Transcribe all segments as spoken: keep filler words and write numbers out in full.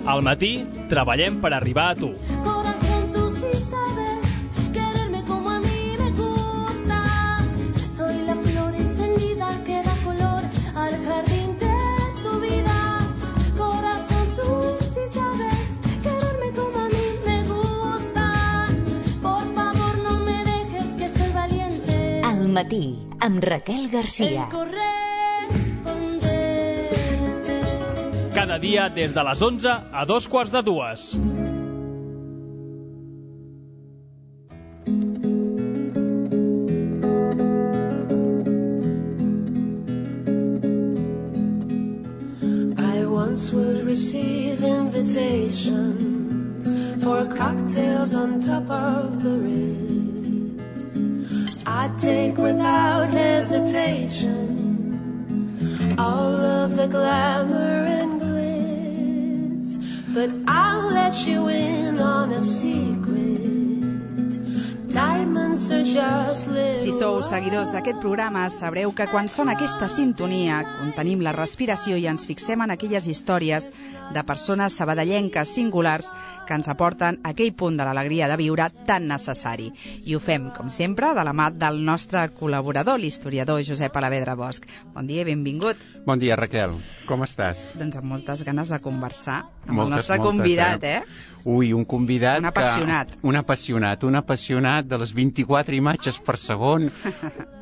Al matí, treballem per arribar a tu. Corazón, tú sí sabes quererme como a mí me gusta. Soy la flor encendida que da color al jardín de tu vida. Corazón, tú sí sabes quererme como a mí me gusta. Por favor, no me dejes que soy valiente. Al matí, amb Raquel Garcia. Cada dia des de les onze a dos quarts de dues. I once would receive invitations for cocktails on top of the Ritz. I'd take without hesitation all of the glamour and glitz, but I'll let you in on a secret. Diamonds are just little. Si sou seguidors d'aquest programa, sabreu que quan sona aquesta sintonia, contenim la respiració i ens fixem en aquelles històries de persones sabadellenques singulars que ens aporten aquell punt de l'alegria de viure tan necessari. I ho fem, com sempre, de la mà del nostre col·laborador, l'historiador Josep Alavedra Bosch. Bon dia i benvingut. Bon dia, Raquel. Com estàs? Doncs amb moltes ganes de conversar amb moltes, el nostre moltes, convidat, eh? eh? Ui, un convidat... Un apassionat. Que, un apassionat, un apassionat de les vint-i-quatre imatges per segon,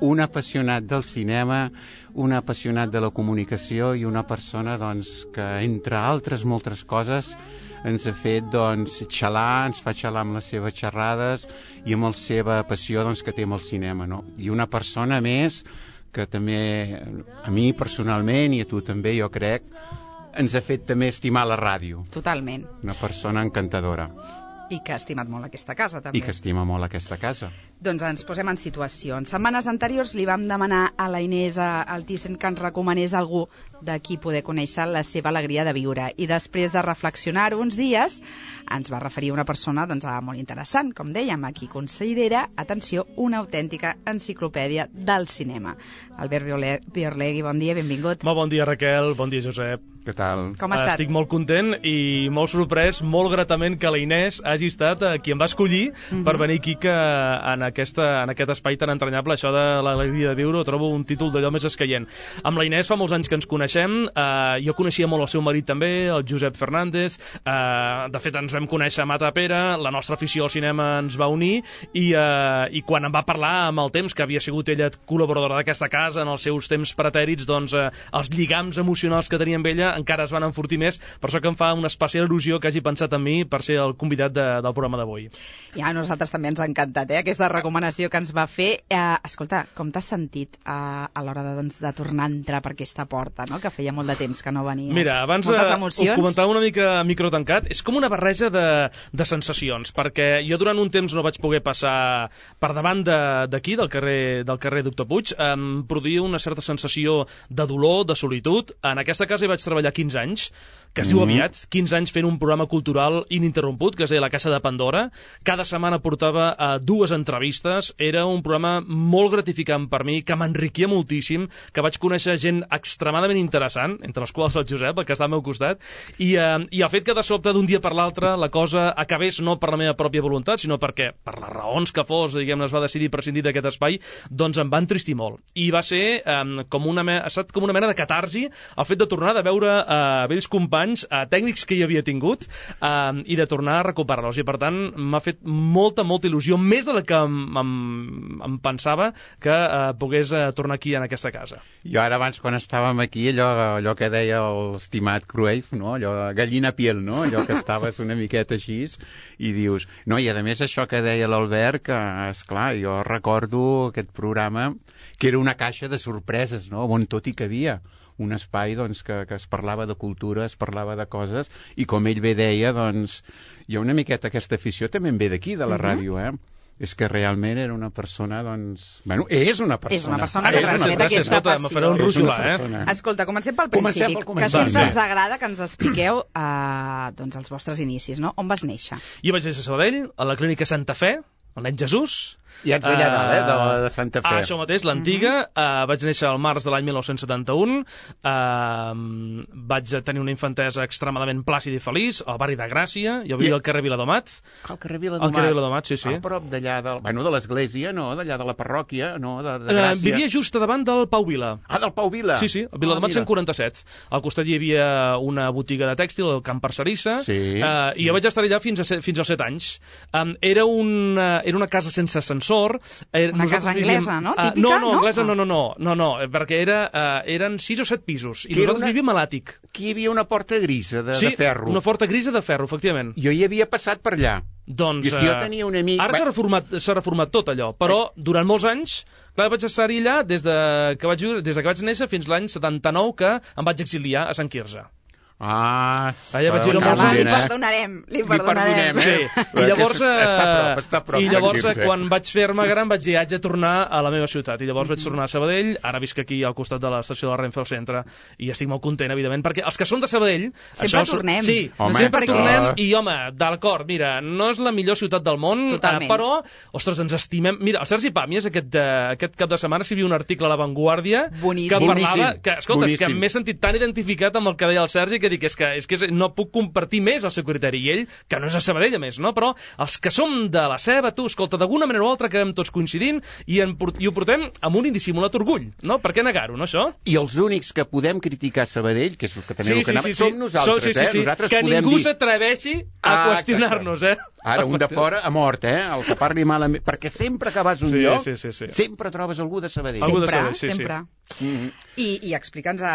un apassionat del cinema, un apassionat de la comunicació i una persona, doncs, que, entre altres moltes coses, ens ha fet, doncs, xalar, ens fa xalar amb les seves xerrades i amb la seva passió, doncs, que té amb el cinema, no? I una persona més que també, a mi personalment i a tu també, jo crec, ens ha fet també estimar la ràdio. Totalment. Una persona encantadora. I que ha estimat molt aquesta casa, també. I que estima molt aquesta casa. Doncs ens posem en situació. En setmanes anteriors li vam demanar a la Inés Altíssim que ens recomanés algú de qui poder conèixer la seva alegria de viure. I després de reflexionar uns dies, ens va referir una persona doncs, molt interessant, com dèiem, a qui considera, atenció, una autèntica enciclopèdia del cinema. Albert Biorlegui, bon dia, benvingut. Molt bon dia, Raquel. Bon dia, Josep. Què tal? Com ha estat? Estic molt content i molt sorprès, molt gratament que la Inés hagi estat qui em va escollir uh-huh. per venir aquí que en, aquesta, en aquest espai tan entranyable. Això de l'alegria de viure ho trobo un títol d'allò més escaient. Amb la Inés fa molts anys que ens coneixem, eh, jo coneixia molt el seu marit també, el Josep Fernández, eh, de fet ens vam conèixer a Matapera, la nostra afició al cinema ens va unir i, eh, i quan em va parlar amb el temps, que havia sigut ella col·laboradora d'aquesta casa en els seus temps pretèrits, doncs eh, els lligams emocionals que tenia amb ella encara es van enfortir més, per això que em fa una especial il·lusió que hagi pensat en mi per ser el convidat de, del programa d'avui. Ja, a nosaltres també ens ha encantat, eh, aquesta recomanació que ens va fer. Eh, escolta, com t'has sentit eh, a l'hora de, doncs, de tornar a entrar per aquesta porta, no? Que feia molt de temps que no venies? Mira, abans Moltes eh, emocions. ho comentava una mica a micro tancat, és com una barreja de, de sensacions, perquè jo durant un temps no vaig poder passar per davant d'aquí, de, del, carrer, del carrer Doctor Puig, em produïa una certa sensació de dolor, de solitud. En aquesta casa hi vaig treballar quinze anys, que es diu aviat, quinze anys fent un programa cultural ininterromput, que es deia La Caixa de Pandora. Cada setmana portava uh, dues entrevistes, era un programa molt gratificant per mi, que m'enriquia moltíssim, que vaig conèixer gent extremadament interessant, entre les quals el Josep, el que està al meu costat, i, uh, i el fet que de sobte d'un dia per l'altre la cosa acabés no per la meva pròpia voluntat, sinó perquè, per les raons que fos, diguem-ne, es va decidir prescindir d'aquest espai, doncs em va entristir molt. I va ser um, com una, me... ha estat com una mena de catarsi el fet de tornar de veure uh, vells companys, uh, tècnics que hi havia tingut, uh, i de tornar a recuperar-los. I per tant m'ha fet molta, molta il·lusió, més de la que em, em, em pensava que uh, pogués uh, tornar aquí en aquesta casa. Jo ara abans, quan estàvem aquí, allò, allò que deia l'estimat Cruyff, no? Allò, gallina piel, no? Allò que estaves una miqueta així i dius... No, i a més això que deia l'Albert, que, esclar, jo recordo aquest programa que era una caixa de sorpreses, no? On tot hi cabia. Un espai doncs, que, que es parlava de cultura, es parlava de coses, i com ell bé deia, doncs, hi ha una miqueta aquesta afició també en ve d'aquí, de la uh-huh. ràdio, eh? És que realment era una persona, doncs... Bueno, és una persona. És una persona que transmet aquesta passió. Me faré un rojolar, eh? Escolta, comencem pel principi, comencem pel que sempre ens agrada que ens expliqueu eh, doncs, els vostres inicis, no? On vas néixer? Jo vaig néixer a Sabadell, a la clínica Santa Fe, el nen Jesús, I ets allà dalt, eh, de, la, de Santa Fe. Ah, això mateix, l'antiga. Uh -huh. uh, vaig néixer al març de l'any mil nou-cents setanta-un. Uh, vaig tenir una infantesa extremadament plàcida i feliç al barri de Gràcia. Jo vivia I... al carrer Viladomat. Al carrer Viladomat. Al carrer Viladomat, sí, sí. A prop d'allà, de, bueno, de l'església, no? D'allà de la parròquia, no? De, de Gràcia. Uh, vivia just a davant del Pau Vila. Ah, del Pau Vila. Sí, sí, a Viladomat ah, cent quaranta-set. Al costat hi havia una botiga de tèxtil, el Camp Parcerissa, sí, uh, sí. i jo vaig estar allà fins, a, fins als set anys. Um, era, una, era una casa sense ascensor. Era, una casa anglesa, vivíem, no? Uh, Típica, no, no, anglesa no? no, no, no, no, no, perquè era, uh, eren sis o set pisos, i que nosaltres una... vivíem a l'àtic. Aquí hi havia una porta grisa de, sí, de ferro. Sí, una porta grisa de ferro, efectivament. Jo hi havia passat per allà. Doncs, I és que jo tenia un amic... Ara s'ha reformat, s'ha reformat tot allò, però durant molts anys, clar, vaig estar-hi allà des de que vaig viure, des de que vaig néixer fins l'any setanta-nou, que em vaig exiliar a Sant Quirze. Ah, allà vaig viure molts anys. Li anys. perdonarem, li perdonarem. Sí, i llavors, està a prop, està a prop, i llavors quan vaig fer-me gran vaig dir, haig de tornar a la meva ciutat, i llavors vaig tornar a Sabadell. Ara visc aquí al costat de l'estació de la Renfe al centre, i estic molt content, evidentment, perquè els que són de Sabadell... Sempre això, tornem. Sí, home, sempre perquè... tornem, i home, d'acord, mira, no és la millor ciutat del món, eh, però, ostres, ens estimem... Mira, el Sergi Pàmies, aquest, eh, aquest cap de setmana, s'hi havia un article a La Vanguardia boníssim. que parlava... Boníssim. Que, escolta, boníssim. és que m'he sentit tan identificat amb el que deia el Sergi que dic, és que, és que no puc compartir més el seu criteri, i ell, que no és a Sabadell, a més, no? Però els que som de la Ceba, tu, escolta, d'alguna manera o altra acabem tots coincidint i, en, i ho portem amb un indissimulat orgull, no? Per què negar-ho, no, això? I els únics que podem criticar Sabadell, que és el que també sí, el que sí, anava, sí, sí. som nosaltres, sí, sí, sí. eh? Nosaltres que podem ningú dir... s'atreveixi a ah, qüestionar-nos, eh? Ara, un de fora ha mort, eh? El que parli malament... Perquè sempre que vas a un sí, lloc, sí, sí, sí. sempre trobes algú de Sabadell. Algú de Sempre, Sabadell, sí, sempre. Sí. Mm-hmm. I, i explica'ns a,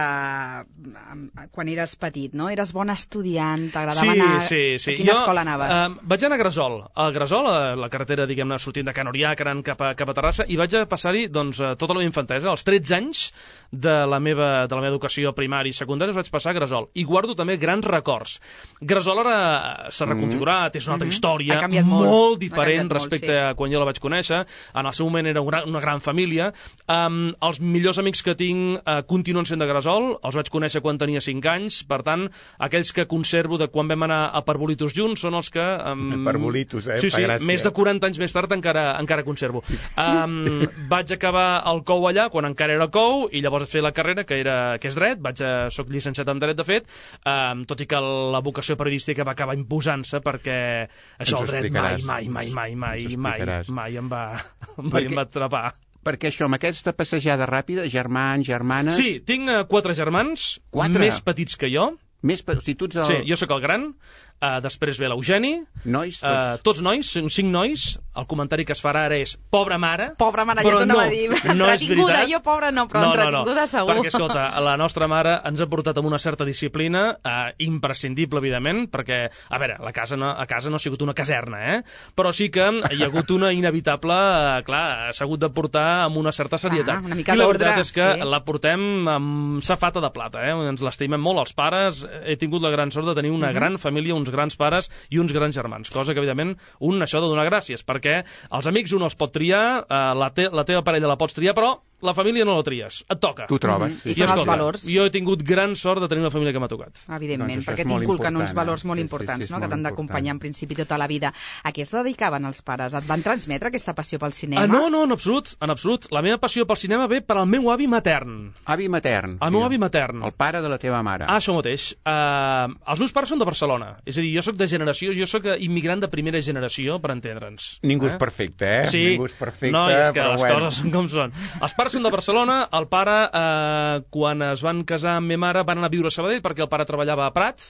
a, a, quan eres petit, no? Eres bon estudiant, t'agradava sí, anar... Sí, sí. A quina jo, escola anaves? Uh, vaig anar a Gresol. A Gresol, a la carretera, diguem-ne, sortint de Can Orià, anant cap a, cap a Terrassa, i vaig a passar-hi doncs, tota la meva infantesa. Als tretze anys de la meva, de la meva educació primària i secundària vaig passar a Gresol. I guardo també grans records. Gresol ara s'ha reconfigurat, és una altra història, ha canviat molt, molt diferent molt, respecte sí. a quan jo la vaig conèixer. En el seu moment era una, una gran família. Um, els millors amics que tinc uh, continuen sent de Gresol, els vaig conèixer quan tenia cinc anys, per tant, aquells que conservo de quan vam anar a Parbolitos junts són els que... Um, Parbolitos, eh? Sí, sí, gràcia. més de quaranta anys més tard encara, encara conservo. Um, vaig acabar el C O U allà, quan encara era C O U, i llavors vaig fer la carrera, que, era, que és dret, vaig a, soc llicenciat en dret, de fet, um, tot i que la vocació periodística va acabar imposant-se, perquè això, el dret, mai, mai, mai, mai, mai, mai, mai em va, mai em va atrapar. Perquè això, amb aquesta passejada ràpida, germans, germanes... Sí, tinc uh, quatre germans, quatre? més petits que jo. Més pe... o sigui, tu ets el... Sí, jo sóc el gran, uh, després ve l'Eugeni, nois, tots... Uh, tots nois, cinc nois. El comentari que es farà ara és pobra mare. Pobra mare, però ja t'ho no, anava a dir. No entretinguda, jo pobra no, però no, entretinguda no, no. segur. Perquè, escolta, la nostra mare ens ha portat amb una certa disciplina, uh, imprescindible, evidentment, perquè, a veure, la casa no, a casa no ha sigut una caserna, eh? Però sí que hi ha hagut una inevitable, uh, clar, s'ha hagut de portar amb una certa serietat. Ah, una mica I la d'ordre, veritat és que sí. la portem amb safata de plata, eh? Ens l'estimem molt, els pares. He tingut la gran sort de tenir una uh -huh. gran família, uns grans pares i uns grans germans, cosa que, evidentment, un això ha de donar gràcies, perquè els amics un els pot triar, eh, la, te la teva parella la pots triar, però la família no la tries, et toca. Tu trobes. Mm-hmm. I són els valors. Jo he tingut gran sort de tenir una família que m'ha tocat. Evidentment, Doncs això perquè és molt t'inculquen uns important, valors eh? molt Sí, importants, sí, sí, no? és Que t'han molt d'acompanyar en principi tota la vida. A què es dedicaven els pares? Et van transmetre aquesta passió pel cinema? Ah, no, no, en absolut, en absolut. La meva passió pel cinema ve per al meu avi matern. Avi matern. El meu avi matern. El pare de la teva mare. Ah, això mateix. Uh, els meus pares són de Barcelona. És a dir, jo sóc de generació, jo sóc immigrant de primera generació, per entendre'ns. Ningú eh? és perfecte, eh? Sí. Ningú és perfecte, no, és que però les bueno. coses són com són. Els pares són de Barcelona, el pare, eh, quan es van casar amb ma mare, van anar a viure a Sabadell perquè el pare treballava a Prat,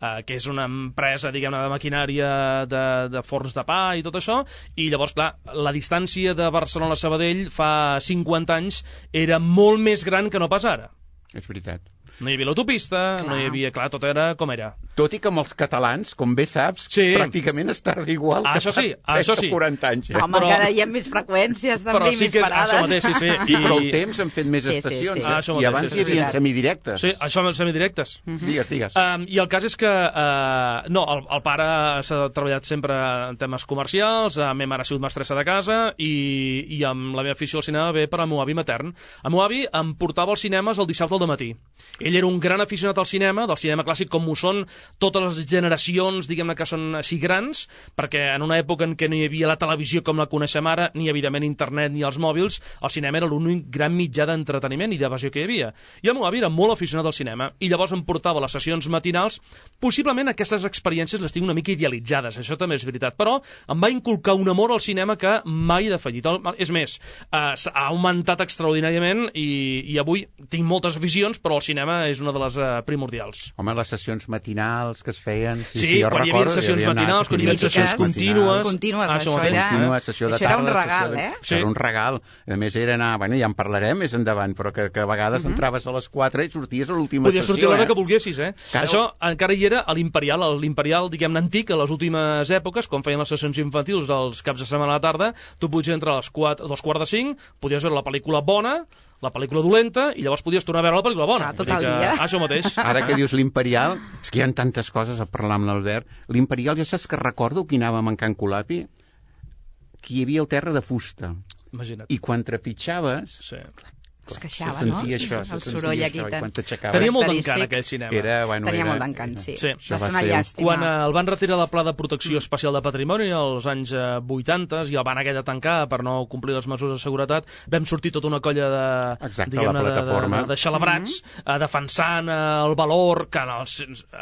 eh, que és una empresa, diguem-ne, de maquinària de, de forns de pa i tot això, i llavors, clar, la distància de Barcelona a Sabadell fa cinquanta anys era molt més gran que no pas ara. És veritat. No hi havia l'autopista, no hi havia... Clar, tot era com era. Tot i que amb els catalans, com bé saps, sí. pràcticament es tarda igual ah, que això sí, fa això sí. quaranta anys. Eh? Home, però... encara hi ha més freqüències, també, però sí més que és, parades. Això mateix, sí, sí. I, però el temps han fet més sí, estacions. Sí, sí. Eh? Ah, això I mateix, abans sí, hi havia sí. semidirectes. Sí, això amb els semidirectes. Uh -huh. Digues, digues. Um, I el cas és que, uh, no, el, el pare s'ha treballat sempre en temes comercials, a ma mare ha sigut mestressa de casa, i, i amb la meva afició al cinema ve per al meu avi matern. El meu avi em portava als cinemes el dissabte al dematí. ell era un gran aficionat al cinema, del cinema clàssic com ho són totes les generacions, diguem-ne, que són així grans, perquè en una època en què no hi havia la televisió com la coneixem ara, ni evidentment internet ni els mòbils, el cinema era l'únic gran mitjà d'entreteniment i d'evasió que hi havia. I el meu avi era molt aficionat al cinema, i llavors em portava a les sessions matinals. Possiblement aquestes experiències les tinc una mica idealitzades, això també és veritat, però em va inculcar un amor al cinema que mai he defallit. És més, eh, ha augmentat extraordinàriament i, i avui tinc moltes aficions, però el cinema és una de les eh, primordials. Home, les sessions matinals que es feien... Sí, sí, sí jo quan recordo, hi havia sessions hi havia matinals, quan hi havia sessions contínues... Contínues, ah, això, això era... Contínua, sessió de això era tarda, un regal, de... eh? Sí. Era un regal. A més, era anar... Bueno, ja en parlarem més endavant, però que, que a vegades uh -huh. entraves a les quatre i sorties a l'última sessió. Podies sortir a l'hora eh? que volguessis, eh? Claro. Això encara hi era a l'Imperial, a l'Imperial, diguem-ne, antic, a les últimes èpoques, quan feien les sessions infantils dels caps de setmana a la tarda, tu podies entrar a les quatre, a dos quarts de cinc, podies veure la pel·lícula bona, la pel·lícula dolenta, i llavors podies tornar a veure la pel·lícula bona. Ah, tot el dia. Això mateix. Ara que dius l'Imperial, és que hi ha tantes coses a parlar amb l'Albert. L'Imperial, ja saps que recordo que anàvem en Can Colapi, que hi havia el terra de fusta. Imagina't. I quan trepitjaves... Sí. Es queixava, se no? sentia això, el se soroll sentia aquí això, i tan... quan t'aixecaves... Tenia molt Característic. d'encant aquell cinema. Era, bueno, Tenia era, molt d'encant, sí. Sí. Va ser una llàstima. Quan eh, el van retirar del Pla de Protecció Especial de Patrimoni als anys eh, vuitanta i el van haver de tancar per no complir les mesures de seguretat, vam sortir tota una colla de, Exacte, la de, plataforma. de, de, de xalabrats mm -hmm. eh, defensant eh, el valor, que no,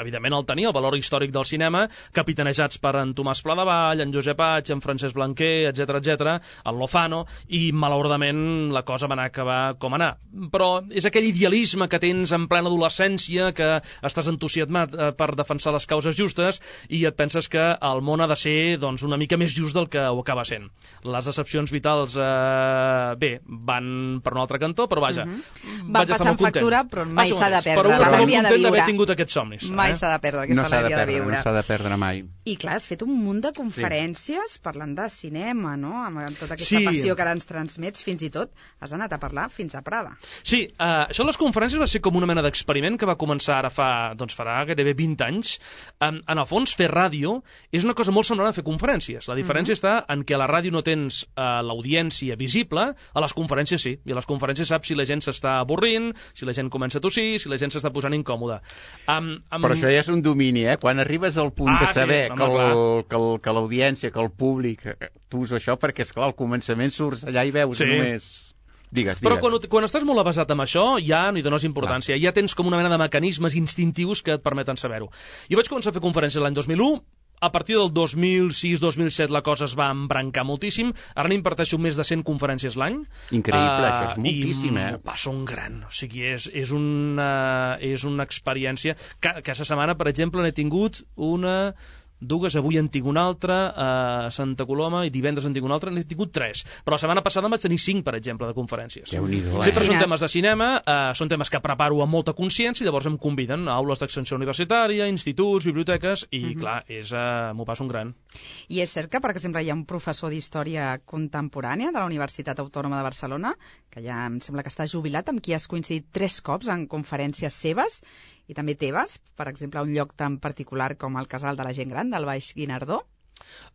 evidentment el tenia, el valor històric del cinema, capitanejats per en Tomàs Pladevall, en Josep Aig, en Francesc Blanquer, etcètera, etcètera, el Lozano, i malauradament la cosa va anar a acabar com anar. Però és aquell idealisme que tens en plena adolescència, que estàs entusiasmat eh, per defensar les causes justes i et penses que el món ha de ser doncs, una mica més just del que ho acaba sent. Les decepcions vitals, eh, bé, van per un altre cantó, però vaja, Uh -huh. vaig Va estar passar molt en factura, content. però mai Això s'ha de mateix. perdre Però un està molt l'alegria de content d'haver viure. tingut aquests somnis. Mai eh? s'ha de perdre aquesta No s'ha de alegria de perdre, viure. no s'ha de perdre mai. I clar, has fet un munt de conferències sí. parlant de cinema, no? Amb tota aquesta Sí. passió que ara ens transmets, fins i tot has anat a parlar fins a Prada. Sí, eh, això de les conferències va ser com una mena d'experiment que va començar ara fa, doncs farà gairebé vint anys. En, en el fons, fer ràdio és una cosa molt semblant a fer conferències. La diferència mm-hmm. està en què a la ràdio no tens eh, l'audiència visible, a les conferències sí. I a les conferències saps si la gent s'està avorrint, si la gent comença a tossir, si la gent s'està posant incòmoda. Um, um... Però això ja és un domini, eh? Quan arribes al punt Ah, de sí, saber home, que, el, que, el, que l'audiència, que el públic, eh, tu us això, perquè, esclar, al començament surts allà i veus Sí. només... Digues, digues. Però quan, quan estàs molt avasat amb això, ja no hi dones importància. Ja tens com una mena de mecanismes instintius que et permeten saber-ho. Jo vaig començar a fer conferències l'any dos mil u, a partir del dos mil sis dos mil set la cosa es va embrancar moltíssim. Ara n'imparteixo més de cent conferències l'any. Increïble, uh, això és moltíssim, eh? I m'ho passo un gran. O sigui, és, és, una, és una experiència... Que, aquesta setmana, per exemple, n'he tingut una... dues, avui en tinc una altra, a Santa Coloma, i divendres en tinc una altra, n'he tingut tres. Però la setmana passada en vaig tenir cinc, per exemple, de conferències. Déu-n'hi-do, eh? Sempre són temes de cinema, eh, són temes que preparo amb molta consciència, i llavors em conviden a aules d'extensió universitària, instituts, biblioteques, i, uh-huh. clar, és, eh, m'ho passo un gran. I és cert que, per exemple, hi ha un professor d'història contemporània de la Universitat Autònoma de Barcelona, que ja em sembla que està jubilat, amb qui has coincidit tres cops en conferències seves, i també teves, per exemple, a un lloc tan particular com el Casal de la Gent Gran, del Baix Guinardó?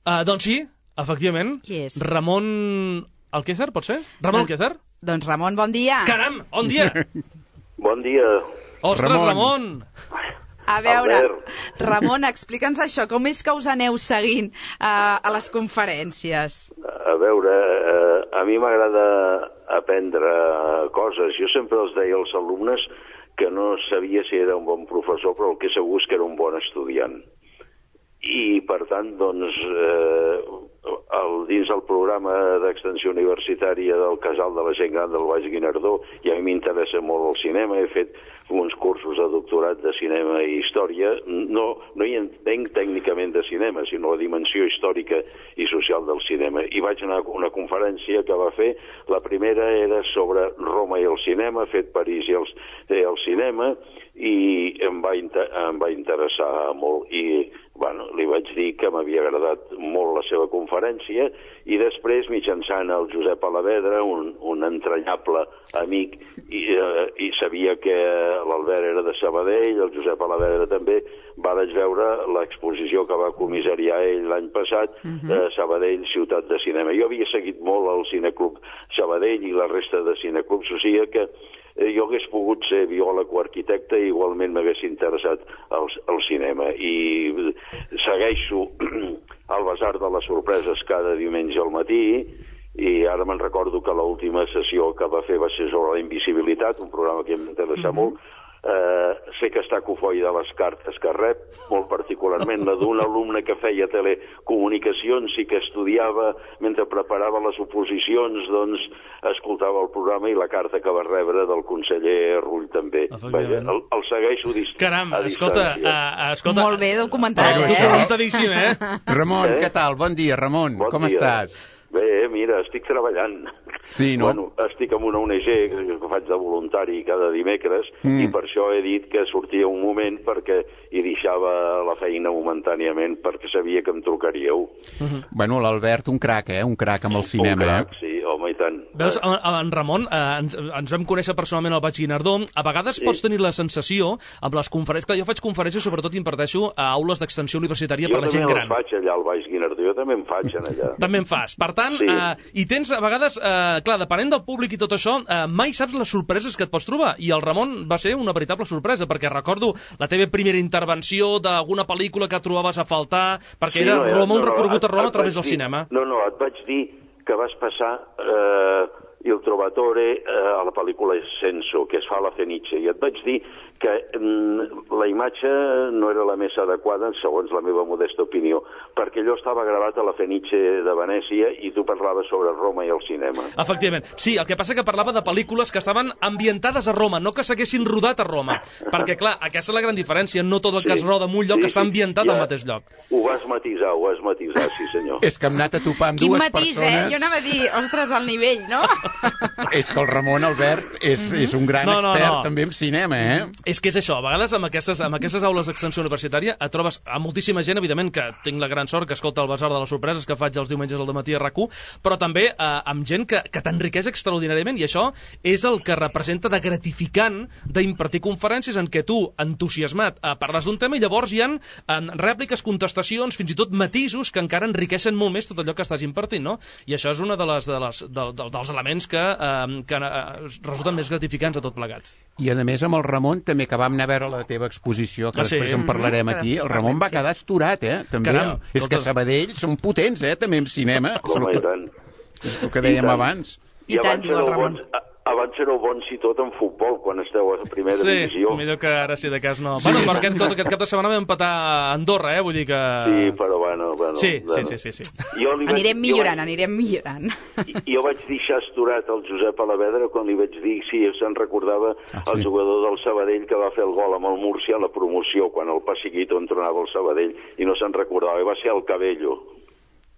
Uh, doncs sí, efectivament. Qui és? Ramon Alquézar, pot ser? Ramon Alquézar? Doncs Ramon, bon dia! Caram, bon dia! Bon dia. Ostres, Ramon. Ramon! A veure, Albert. Ramon, explica'ns això, com és que us aneu seguint uh, a les conferències? A veure, eh, a mi m'agrada aprendre coses. Jo sempre els deia als alumnes que no sabia si era un bon professor, però el que segur és que era un bon estudiant. I, per tant, doncs, eh, el, dins del programa d'extensió universitària del Casal de la Gent Gran del Baix Guinardó, i a mi m'interessa molt el cinema, he fet uns cursos de doctorat de cinema i història. No, no hi entenc tècnicament de cinema, sinó la dimensió històrica i social del cinema. I vaig anar a una conferència que va fer, la primera era sobre Roma i el cinema, fet París i el, eh, el cinema, i em va, em va interessar molt. I bueno, li vaig dir que m'havia agradat molt la seva conferència, i després, mitjançant el Josep Alavedra, un, un entranyable amic, i, eh, i sabia que l'Albert era de Sabadell, el Josep Alavedra també, vaig veure l'exposició que va comissariar ell l'any passat, uh-huh. eh, Sabadell, ciutat de cinema. Jo havia seguit molt el Cineclub Sabadell i la resta de cineclubs, o sigui que eh, jo hagués pogut ser biòleg o arquitecte i igualment m'hagués interessat el, el cinema. I segueixo al Basar de les Sorpreses cada diumenge al matí, i ara me'n recordo que l'última sessió que va fer va ser sobre la invisibilitat, un programa que em interessa mm-hmm. molt. Uh, sé que està cofoi de les cartes que rep, molt particularment la d'un alumne que feia telecomunicacions i que estudiava mentre preparava les oposicions, doncs escoltava el programa i la carta que va rebre del conseller Rull també. Vaja, el, el segueixo dist Caram, a escolta, distància. uh, escolta... Molt bé documentat, eh? Documentadíssim, eh? Ramon, Eh? què tal? Bon dia, Ramon. Bon Com dia. estàs? Bé, mira, estic treballant. Sí, no? Bueno, estic en una O N G que faig de voluntari cada dimecres mm. i per això he dit que sortia un moment perquè hi deixava la feina momentàniament perquè sabia que em trucaríeu. Mm-hmm. Bueno, l'Albert, un crac, eh? Un crac amb el cinema, un crac, eh? sí, home, i tant. Veus, en Ramon, eh, ens, ens vam conèixer personalment al Baix Guinardó. A vegades sí. pots tenir la sensació, amb les conferències, que jo faig conferències, sobretot imparteixo a aules d'extensió universitària jo per la gent gran. Jo també faig allà al Baix Guinardó, jo també en faig en allà. També en fas. Per tant, sí. eh, i tens a vegades, eh, clar, depenent del públic i tot això, eh, mai saps les sorpreses que et pots trobar. I el Ramon va ser una veritable sorpresa, perquè recordo la teva primera intervenció d'alguna pel·lícula que trobaves a faltar, perquè sí, era no, Roma, no, un recorregut no, a Roma a través dir, del cinema. No, no, et vaig dir que vas passar eh, Il Trovatore eh, a la pel·lícula Senso, que es fa a la Fenice, i et vaig dir que mm, la imatge no era la més adequada, segons la meva modesta opinió, perquè allò estava gravat a la Fenice de Venècia i tu parlaves sobre Roma i el cinema. Efectivament. Sí, el que passa que parlava de pel·lícules que estaven ambientades a Roma, no que s'haguessin rodat a Roma. Perquè, clar, aquesta és la gran diferència. No tot el que Sí, es roda en un lloc sí, està sí, ambientat ja al mateix lloc. Ho vas matisar, ho vas matisar, sí senyor. És que hem anat a topar amb Quin dues matís, persones... eh? Jo anava a dir, ostres, al nivell, no? És que el Ramon Albert és, mm-hmm. és un gran No, no, expert no. també en cinema, eh? És que és això, a vegades amb aquestes, amb aquestes aules d'extensió universitària et trobes a moltíssima gent, evidentment, que tinc la gran sort que escolta el Basar de les Sorpreses que faig els diumenges al dematí a RAC u, però també eh, amb gent que, que t'enriqueix extraordinàriament, i això és el que representa de gratificant d'impartir conferències en què tu, entusiasmat, eh, parles d'un tema i llavors hi ha eh, rèpliques, contestacions, fins i tot matisos que encara enriqueixen molt més tot allò que estàs impartint, no? I això és un de les, de les, de, de, dels elements que, eh, que eh, resulten més gratificants a tot plegat. I a més amb el Ramon també, que vam anar a veure la teva exposició, que Ah, sí? després en parlarem Mm-hmm, aquí, que el després Ramon va parlem, sí. quedar esturat, eh? També. Caram, és que totes- Sabadell són potents, eh? També en cinema. És Home, el i que, tant. és el que dèiem tant. abans. I tant, abans diu el éreu Ramon. bons- a- Abans éreu bons i tot en futbol, quan esteu a la primera Sí, divisió. millor que ara sí de cas no. Sí. Bueno, però aquest, aquest cap de setmana vam empatar a Andorra, eh? Vull dir que... Sí, però bueno... bueno Sí, bueno. sí, sí, sí, sí. Jo li vaig- Anirem jo millorant, vaig- anirem millorant. Jo vaig deixar esturat el Josep Alavedra quan li vaig dir si se'n recordava Ah, el sí. jugador del Sabadell que va fer el gol amb el Múrcia a la promoció quan el Pasiguito entrenava el Sabadell i no se'n recordava, i va ser el Cabello.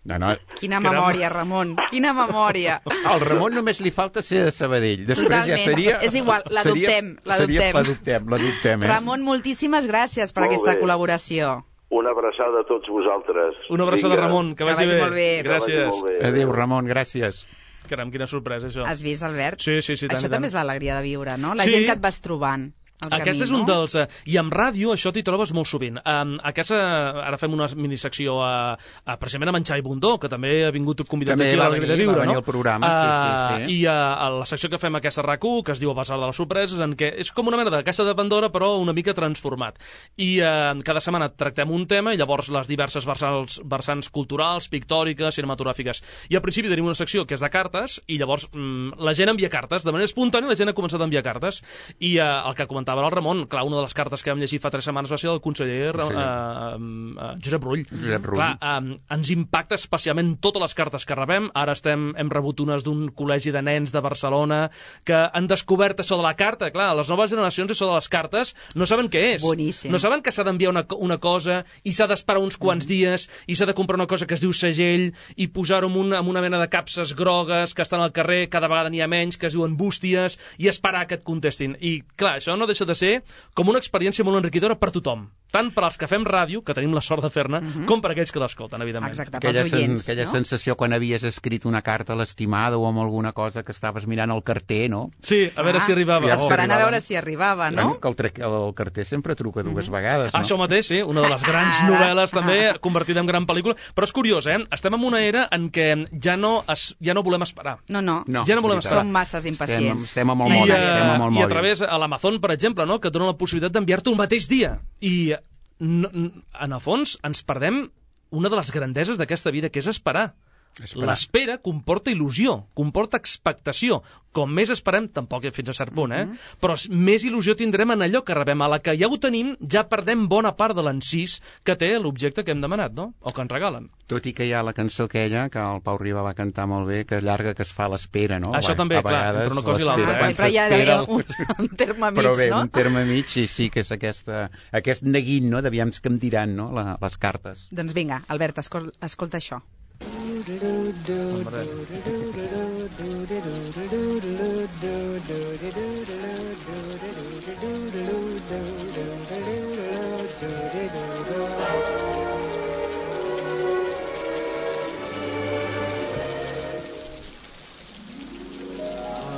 No, no. Quina Caram. memòria, Ramon, quina memòria. Al Ramon només li falta ser de Sabadell. Després Totalment. ja seria... És igual, l'adoptem, seria- l'adoptem. seria- L'adoptem, l'adoptem, eh? Ramon, moltíssimes gràcies per Molt aquesta bé. col·laboració. Una abraçada a tots vosaltres. Una abraçada, Vinga. Ramon, que Que vagi, vagi molt bé. Que vagi Gràcies. molt bé. Adéu, Ramon, gràcies. Caram, quina sorpresa, això. Has vist, Albert? Sí, sí, sí, tant, Això i tant. també és l'alegria de viure, no? La Sí. gent que et vas trobant al Aquest camí, és un no? dels... Eh, I amb ràdio això t'hi trobes molt sovint. Um, aquesta, ara fem una minisecció a, a, precisament a Menjar i Bundó, que també ha vingut convidat També aquí a va l'Alegria de venir, Viure, va venir no? al programa, sí, sí, sí. I a, a la secció que fem aquesta RAC u, que es diu El Basar de les Sorpreses, en què és com una mena de caixa de Pandora, però una mica transformat. I eh, cada setmana tractem un tema, i llavors les diverses versants, versants culturals, pictòriques, cinematogràfiques. I al principi tenim una secció que és de cartes, i llavors mm, la gent envia cartes. De manera espontània la gent ha començat a enviar cartes. I eh, el que comentava el Ramon, clar, una de les cartes que vam llegir fa tres setmanes va ser del conseller, conseller. Eh, eh, Josep Rull. Josep Rull. Clar, eh, ens impacta especialment totes les cartes que rebem. Ara estem, hem rebut unes d'un col·legi de nens de Barcelona que han descobert això de la carta. Clar, les noves generacions això de les cartes no saben què és. Boníssim. No saben que s'ha d'enviar una, una cosa i s'ha d'esperar uns quants Mm. dies i s'ha de comprar una cosa que es diu segell i posar-ho en, una, en una mena de capses grogues que estan al carrer, cada vegada n'hi ha menys, que es diuen bústies, i esperar que et contestin. I clar, això no deixa de ser com una experiència molt enriquidora per tothom. tant per als que fem ràdio, que tenim la sort de fer-ne, Mhm. com per aquells que l'escolten, evidentment. Exacte, Aquella, pels oients, sen, aquella no? sensació quan havies escrit una carta a l'estimada o amb alguna cosa que estaves mirant al carter, no? Sí, a veure Ah, si arribava. ja Oh. Esperant a arribava. veure si arribava, no? Que el, tre- el carter sempre truca dues vegades, no? Això mateix, sí, una de les grans Ara. novel·les també convertida en gran pel·lícula, però és curiós, eh? Estem en una era en què ja no, es, ja no volem esperar. No, no, No, Ja no volem és veritat. esperar. som masses Estem, impacients. estem amb el I, mòbil, eh, estem amb el I mòbil. a través, a l'Amazon, per exemple, no? que et dona la possibilitat d'enviar-te un mateix dia. I, no, en el fons, ens perdem una de les grandeses d'aquesta vida, que és esperar. Esperar. L'espera comporta il·lusió, comporta expectació. Com més esperem, tampoc fins a cert punt, eh? Però més il·lusió tindrem en allò que rebem. A la que ja ho tenim, ja perdem bona part de l'encís que té l'objecte que hem demanat, no? O que ens regalen. Tot i que hi ha la cançó aquella, que el Pau Riba va cantar molt bé, que llarga que es fa l'espera, no? Això A també, clar, vegades entre una cosa i l'altra, l'espera, eh? quan Però hi ha s'espera d'haver un, un terme mig, Però bé, no? un terme mig, sí, sí, que és aquesta, aquest neguit, no?, d'aviam que em diran, no?, la, les cartes. Doncs vinga, Albert, escol escolta això.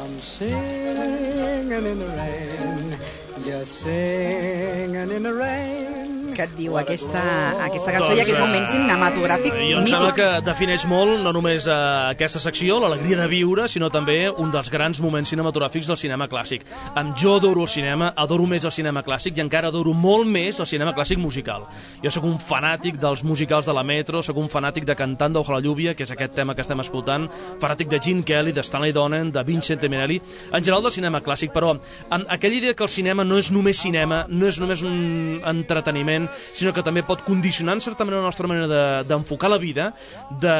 I'm singing in the rain, just singing in the rain. Què et diu aquesta, aquesta cançó i aquest moment cinematogràfic Jo em sembla mític? que defineix molt no només eh, aquesta secció, l'alegria de viure, sinó també un dels grans moments cinematogràfics del cinema clàssic. Amb jo adoro el cinema, adoro més el cinema clàssic i encara adoro molt més el cinema clàssic musical. Jo sóc un fanàtic dels musicals de la Metro, sóc un fanàtic de Cantando bajo la lluvia, que és aquest tema que estem escoltant, fanàtic de Gene Kelly, de Stanley Donen, de Vincente Minelli, en general del cinema clàssic, però en aquella idea que el cinema no és només cinema, no és només un entreteniment, sinó que també pot condicionar en certa manera la nostra manera de- d'enfocar la vida, de,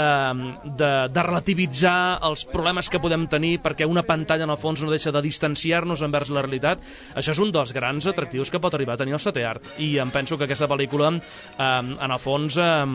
de, de relativitzar els problemes que podem tenir, perquè una pantalla en el fons no deixa de distanciar-nos envers la realitat. Això és un dels grans atractius que pot arribar a tenir el setè art, i em penso que aquesta pel·lícula eh, en el fons eh,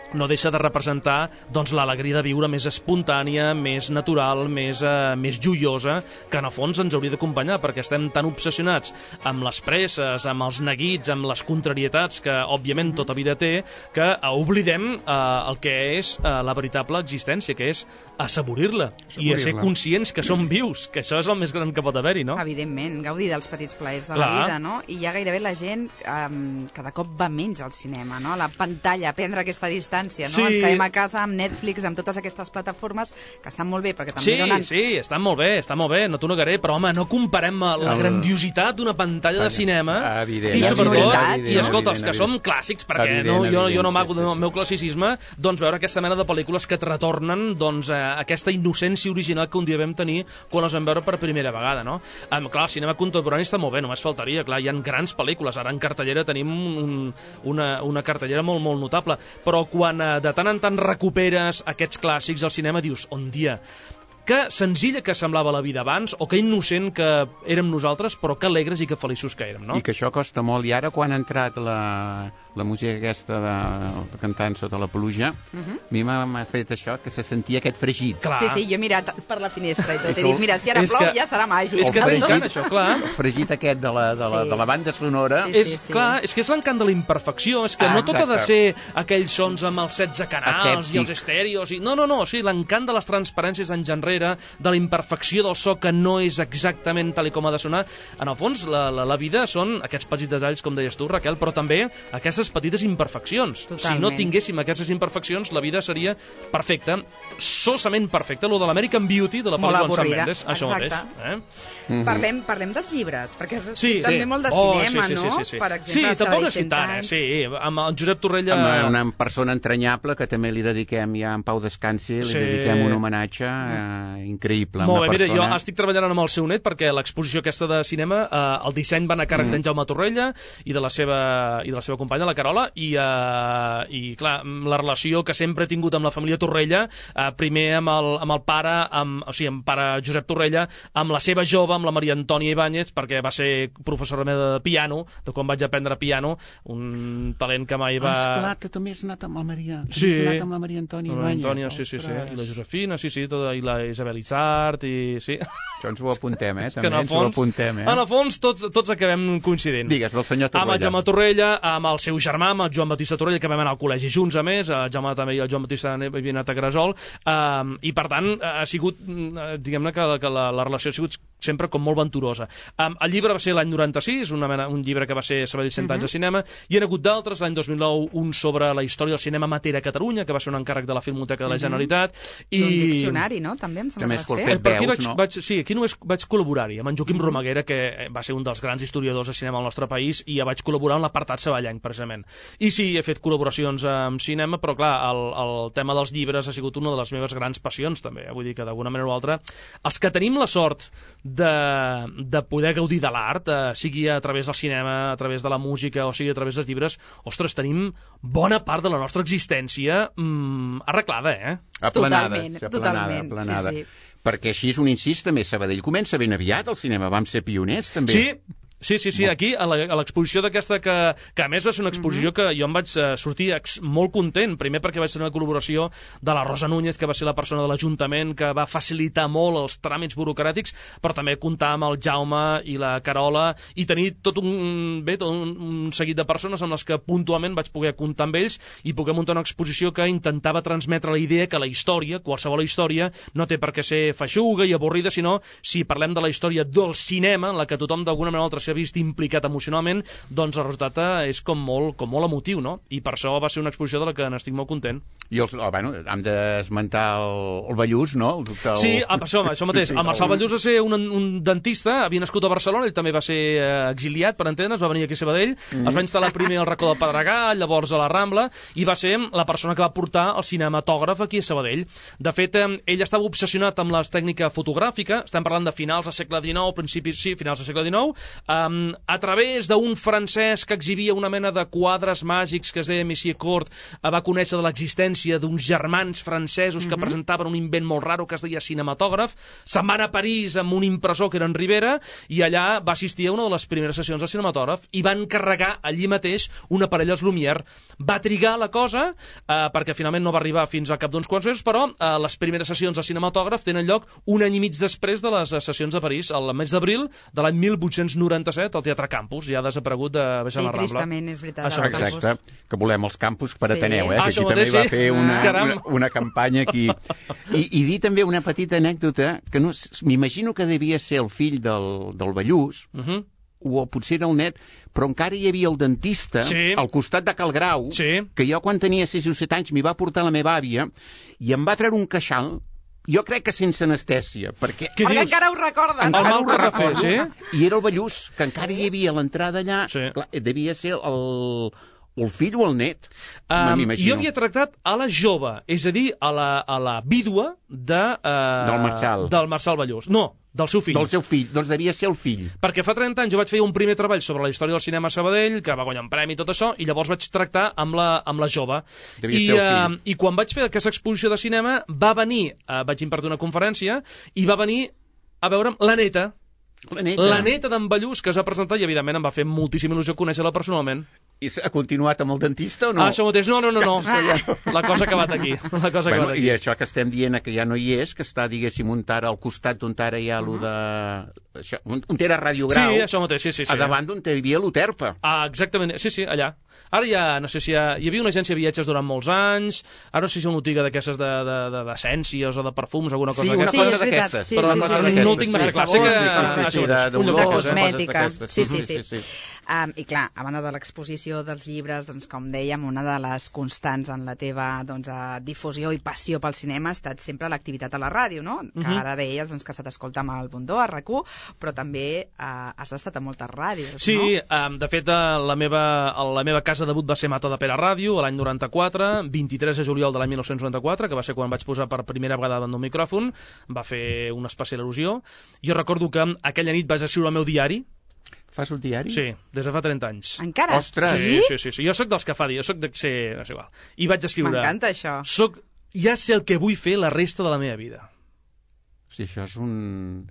no deixa de representar doncs, l'alegria de viure més espontània, més natural, més, eh, més joiosa, que en el fons ens hauria d'acompanyar, perquè estem tan obsessionats amb les presses, amb els neguits, amb les contrarietats que, òbviament, tota vida té, que oblidem eh, el que és eh, la veritable existència, que és assaborir-la i a ser Assaborir-la. conscients que som vius, que això és el més gran que pot haver-hi, no? Evidentment, gaudir dels petits plaers de Clar. la vida, no? I ja gairebé la gent um, cada cop va menys al cinema, no? A la pantalla, a prendre aquesta distància, no? Sí. Ens quedem a casa amb Netflix, amb totes aquestes plataformes que estan molt bé, perquè també Sí, donen... sí, està molt bé, està molt bé, no t'ho negaré, però home, no comparem la El- grandiositat d'una pantalla de cinema Evident, i evident, sobretot, evident, i escolta, els evident, que som evident. clàssics, perquè Evident, no, jo, jo evident, no amago sí, sí, del sí. meu classicisme, doncs veure aquesta mena de pel·lícules que et retornen doncs, eh, aquesta innocència original que un dia vam tenir quan les vam veure per primera vegada, no? Um, clar, el cinema contemporani està molt bé, només faltaria, clar, hi ha grans pel·lícules, ara en cartellera tenim un, una, una cartellera molt, molt notable, però quan eh, de tant en tant recuperes aquests clàssics al cinema dius, on dia, que senzilla que semblava la vida abans, o que innocent que érem nosaltres, però que alegres i que feliços que érem, no? I que això costa molt. I ara, quan ha entrat la, la música aquesta de, de cantant sota la pluja, a mi m'ha m'ha fet això, que se sentia aquest fregit. Clar. Sí, sí, jo he mirat per la finestra i tot, he dit, mira, si ara És plou que- ja serà màgic. És que El t'encanta fregit- això, clar. El fregit aquest de la, de la, Sí. de la banda sonora. Sí, És, clar, és que és l'encant de la imperfecció, és que Ah, no tot ha de exacte. ser aquells sons amb els setze canals Asèptic. i els estèreos, i... no, no, no, sí, l'encant de les transparències d'en enrere, de la imperfecció del so que no és exactament tal i com ha de sonar. En el fons, la, la, la vida són aquests petits detalls, com deies tu, Raquel, però també aquestes petites imperfeccions. Totalment. Si no tinguéssim aquestes imperfeccions, la vida seria perfecta, sosament perfecta, lo de l'American Beauty de la Molt pel·lícula amb Sam avorrida, Mendes, això mateix. exacte. Eh? Parlem, parlem dels llibres, perquè és Sí, també sí. molt de Oh, cinema, sí, sí, no? sí, sí, sí. Per exemple, sí, tampoc és cent tant, eh? anys. Sí, amb el Josep Torrella... Amb una persona entranyable que també li dediquem ja en Pau Descansi, li Sí. dediquem un homenatge eh, increïble. Molt una bé, mira, persona... jo estic treballant amb el seu net perquè l'exposició aquesta de cinema, eh, el disseny va anar a càrrec mm. d'en Jaume Torrella i de la seva, i de la seva companya, la Carola, i, eh, i clar, la relació que sempre he tingut amb la família Torrella, eh, primer amb el, amb el pare, amb, o sigui, amb pare Josep Torrella, amb la seva jove, amb la Maria Antònia Ibáñez, perquè va ser professora meva de piano, de quan vaig aprendre piano, un talent que mai va... Ah, esclar, que també has anat amb la Maria, que Sí. has anat amb la Maria Antònia La Ibáñez. Antònia, sí, sí, sí. Ostres. I la Josefina, sí, sí, tota, i la Isabel Issart, i sí. Això ens ho apuntem, eh? Que També en el ens ho fons, apuntem, eh? en el fons tots, tots acabem coincidint. Digues, del senyor Torrella. Amb el Jaume Torrella, amb el seu germà, amb el Joan Batista Torrella, que vam anar al col·legi junts, a més, el Jaume també i el Joan Batista havien anat a Gresol, um, i per tant ha sigut, diguem-ne que, que la, la relació ha sigut sempre com molt venturosa. Um, el llibre va ser l'any noranta-sis, una mena, un llibre que va ser Sabadell cent anys de cinema, i hi ha hagut d'altres, l'any dos mil nou, un sobre la història del cinema amateur a Catalunya, que va ser un encàrrec de la Filmoteca de la Generalitat. I... Un diccionari, no? També em sembla També que és vas fer fer. Per aquí veus, vaig, no? vaig, sí, aquí només vaig col·laborar-hi amb en Joaquim Romaguera, que va ser un dels grans historiadors de cinema al nostre país, i ja vaig col·laborar en l'apartat saballenc, precisament. I sí, he fet col·laboracions amb cinema, però clar, el, el tema dels llibres ha sigut una de les meves grans passions, també. Vull dir que d'alguna manera o altra, els que tenim la sort de, de poder gaudir de l'art, eh, sigui a través del cinema, a través de la música, o sigui a través dels llibres, ostres, tenim bona part de la nostra existència mm, arreglada, eh? Aplanada, Totalment, aplanada, totalment, aplanada. sí, sí. Perquè així és un incís també, Sabadell comença ben aviat el cinema, vam ser pioners també. Sí, sí, sí, sí. Aquí, a l'exposició d'aquesta, que, que a més va ser una exposició que jo em vaig sortir ex, molt content, primer perquè vaig tenir una col·laboració de la Rosa Núñez, que va ser la persona de l'Ajuntament que va facilitar molt els tràmits burocràtics, però també comptar amb el Jaume i la Carola i tenir tot un, bé, tot un, un seguit de persones amb les que puntualment vaig poder comptar amb ells i poder muntar una exposició que intentava transmetre la idea que la història, qualsevol història, no té per què ser feixuga i avorrida, sinó si parlem de la història del cinema, en la que tothom d'alguna manera o altra s'ha vist implicat emocionalment, doncs el resultat és com molt, com molt emotiu, no? I per això va ser una exposició de la que n'estic molt content. I els, oh, bueno, hem d'esmentar el, el Ballús, no? El, el... Sí, això, això mateix. Sí, sí, el Marçal Ballús va ser un, un dentista, havia nascut a Barcelona, ell també va ser eh, exiliat, per entendre's, va venir aquí a Sabadell, mm. es va instal·lar primer al racó del Pedregà, llavors a la Rambla, i va ser la persona que va portar el cinematògraf aquí a Sabadell. De fet, eh, ell estava obsessionat amb la tècnica fotogràfica, estem parlant de finals del segle dinou, principis, sí, finals del segle dinou, um, a través d'un francès que exhibia una mena de quadres màgics que es deia Monsieur Court, va conèixer de l'existència d'uns germans francesos que mm-hmm. presentaven un invent molt raro que es deia cinematògraf, se'n van a París amb un impressor que era en Rivera i allà va assistir a una de les primeres sessions de cinematògraf i van carregar allí mateix un aparell als Lumière. Va trigar la cosa eh, perquè finalment no va arribar fins al cap d'uns quants mesos, però eh, les primeres sessions de cinematògraf tenen lloc un any i mig després de les sessions de París, al mes d'abril de l'any mil vuit-cents noranta-set, al Teatre Campus, ja ha desaparegut de baixar sí, la Rambla. Sí, tristament, és veritat. Això, exacte, que volem els campus per sí. Ateneu, eh? Ah, que aquí també mateix, va sí. fer una, Caram. una, una campanya aquí. I, I dir també una petita anècdota, que no, m'imagino que devia ser el fill del, del Ballús, uh -huh. o potser era el net, però encara hi havia el dentista sí. al costat de Cal Grau, sí. que jo quan tenia sis o set anys m'hi va portar la meva àvia i em va treure un queixal, jo crec que sense anestèsia, perquè... Perquè dius? Encara ho recorden. El mal que va fer, sí? I era el Ballús, que encara hi havia a l'entrada allà, sí. clar, devia ser el... o el fill o el net, um, jo havia tractat a la jove, és a dir, a la, a la vídua de, uh, del Marçal. Del Marçal Ballús. No, del seu fill. Del seu fill, doncs devia ser el fill. Perquè fa trenta anys jo vaig fer un primer treball sobre la història del cinema a Sabadell, que va guanyar un premi i tot això, i llavors vaig tractar amb la, amb la jove. Devia I, ser el fill. Uh, I quan vaig fer aquesta exposició de cinema, va venir, uh, vaig impartir una conferència, i va venir a veure'm la neta. La neta. La neta d'en Ballús, que es va presentar, i evidentment em va fer moltíssima il·lusió conèixer-la personalment. I ha continuat amb el dentista o no? Ah, això mateix. No, no, no, no. La cosa ha acabat aquí. La cosa ha bueno, acabat aquí. I això que estem dient que ja no hi és, que està, diguéssim, un tara al costat d'on ara hi ha allò de... Això, on era Ràdio Grau. Sí, això mateix, sí, sí. sí. A davant d'on hi havia l'Uterpa. Ah, exactament. Sí, sí, allà. Ara ja, no sé si hi, ha, hi havia una agència de viatges durant molts anys, ara no sé si és una botiga d'aquestes d'essències o de perfums, alguna cosa sí, una d'aquestes. cosa d'aquestes. Sí, però sí, sí, sí, sí, no ho tinc massa clar. Sé que... Sí, sí, sí, un lloc de d'olors, cosmètica. coses Sí, sí, sí. sí, sí. Um, I clar, a banda de l'exposició dels llibres, doncs, com dèiem, una de les constants en la teva doncs, difusió i passió pel cinema ha estat sempre l'activitat a la ràdio, no? Que Uh-huh. ara deies doncs, que se t'escolta amb el Bundó, a RAC u, però també uh, has estat a moltes ràdios, Sí, no? um, de fet, la meva, la meva casa debut va ser Mata de Pere Ràdio, l'any noranta-quatre, vint-i-tres de juliol de l'any mil nou-cents noranta-quatre, que va ser quan vaig posar per primera vegada davant d'un micròfon, va fer una especial al·lusió. Jo recordo que aquella nit vaig escriure el meu diari. Fas un diari? Sí, des de fa trenta anys. Encara? Ostres! Sí, sí, sí, sí. Jo sóc dels que fa diari, jo sóc de... Sí, és igual. I vaig escriure... M'encanta això. Soc... Ja sé el que vull fer la resta de la meva vida. Sí, això és un...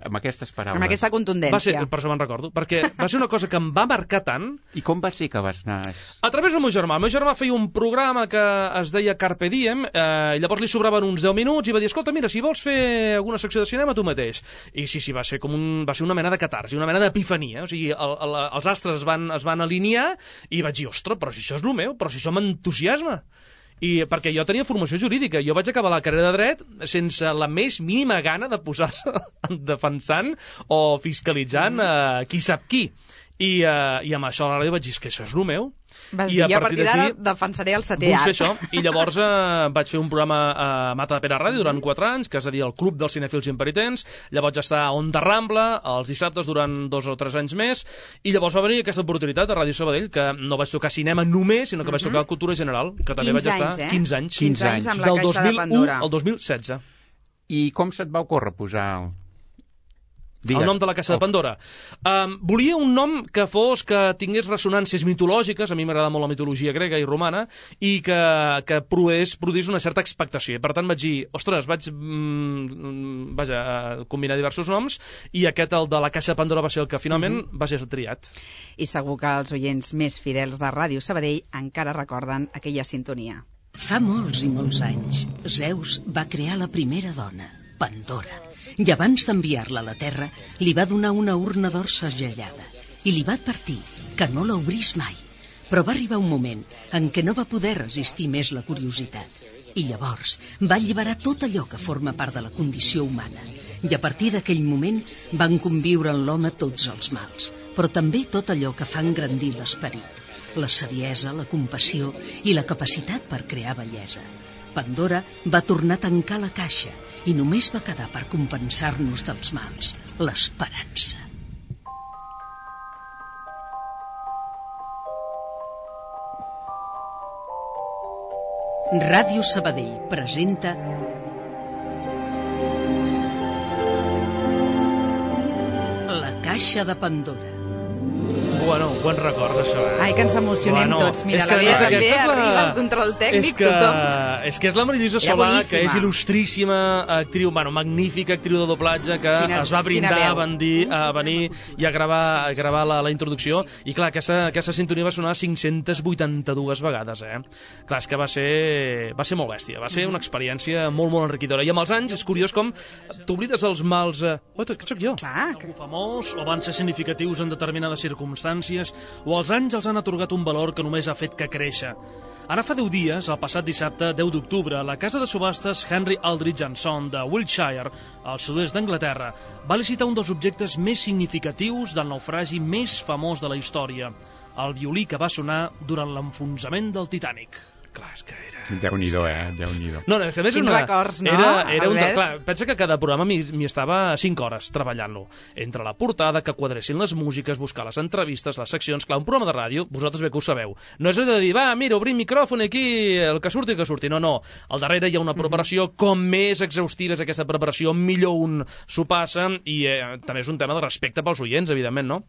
amb aquestes paraules. Amb aquesta contundència. Va ser, per això me'n recordo, perquè va ser una cosa que em va marcar tant. I com va ser que vas anar? A través del meu germà. El meu germà feia un programa que es deia Carpe Diem, eh, i llavors li sobraven uns deu minuts i va dir, escolta, mira, si vols fer alguna secció de cinema, tu mateix. I sí, sí, va ser com un, va ser una mena de catarsi, una mena d'epifania. O sigui, el, el, els astres es van, es van alinear i vaig dir, ostres, però si això és el meu, però si això m'entusiasma. I perquè jo tenia formació jurídica, jo vaig acabar la carrera de dret sense la més mínima gana de posar-se defensant o fiscalitzant eh, qui sap qui. I, uh, i amb això a la ràdio vaig dir que això és el meu. Vas I dir, a partir d'ara defensaré el setè art. Això. I llavors uh, vaig fer un programa a Mata de Pere Ràdio durant quatre anys, que es deia el Club dels Cinefils Impenitents. Llavors estar a Onda Rambla els dissabtes durant dos o tres anys més, i llavors va venir aquesta oportunitat a Ràdio Sabadell, que no vaig tocar cinema només, sinó que vaig tocar cultura general, que també vaig estar anys, eh? quinze anys. quinze anys amb la del Caixa de Pandora. Al dos mil setze. I com se't va ocórrer posar... Digues. El nom de la Caixa de Pandora. Um, volia un nom que fos, que tingués ressonàncies mitològiques, a mi m'agrada molt la mitologia grega i romana, i que, que produís, produís una certa expectació. I per tant vaig dir, ostres, vaig mm, vaja, combinar diversos noms, i aquest, el de la Caixa de Pandora, va ser el que finalment mm-hmm. va ser triat. I segur que els oients més fidels de Ràdio Sabadell encara recorden aquella sintonia. Fa molts i molts anys, Zeus va crear la primera dona, Pandora. I abans d'enviar-la a la Terra, li va donar una urna d'or segellada i li va advertir que no l'obrís mai. Però va arribar un moment en què no va poder resistir més la curiositat. I llavors va alliberar tot allò que forma part de la condició humana. I a partir d'aquell moment van conviure en l'home tots els mals, però també tot allò que fa engrandir l'esperit. La saviesa, la compassió i la capacitat per crear bellesa. Pandora va tornar a tancar la caixa i només va quedar per compensar-nos dels mals, l'esperança. Ràdio Sabadell presenta La Caixa de Pandora. Bueno, bon record, això, eh? Ai, que ens emocionem bueno, tots. Mira, és que, la Bea també la... arriba al control tècnic, és que, tothom. És que és la Marilisa Solà, que és il·lustríssima actriu, bueno, magnífica actriu de doblatge, que quina, es va brindar a venir, a venir i a gravar, a gravar la, la introducció. Sí. I clar, aquesta, aquesta sintonia va sonar cinc-centes vuitanta-dues vegades, eh? Clar, és que va ser, va ser molt bèstia, va ser mm-hmm. una experiència molt, molt enriquidora. I amb els anys és curiós com t'oblides els mals... Eh... Oh, què soc jo? Clar. Algú famós, o van ser significatius en determinades circumstàncies, o els anys els han atorgat un valor que només ha fet que créixer. Ara fa deu dies, el passat dissabte, deu d'octubre, la casa de subhastes Henry Aldridge and Son de Wiltshire, al sud-est d'Anglaterra, va licitar un dels objectes més significatius del naufragi més famós de la història, el violí que va sonar durant l'enfonsament del Titanic. Clar, és que era... Déu-n'hi-do, eh? Déu-n'hi-do. No, no, és que a més Quins una... records, no? Era, era un... Albert? Clar, pensa que cada programa m'hi estava cinc hores treballant-lo. Entre la portada, que quadressin les músiques, buscar les entrevistes, les seccions... Clar, un programa de ràdio, vosaltres bé que ho sabeu. No és de dir, va, mira, obrim micròfon aquí, el que surti, el que surti. No, no. Al darrere hi ha una preparació, com més exhaustiva és aquesta preparació, millor un s'ho passa, i eh, també és un tema de respecte pels oients, evidentment, no?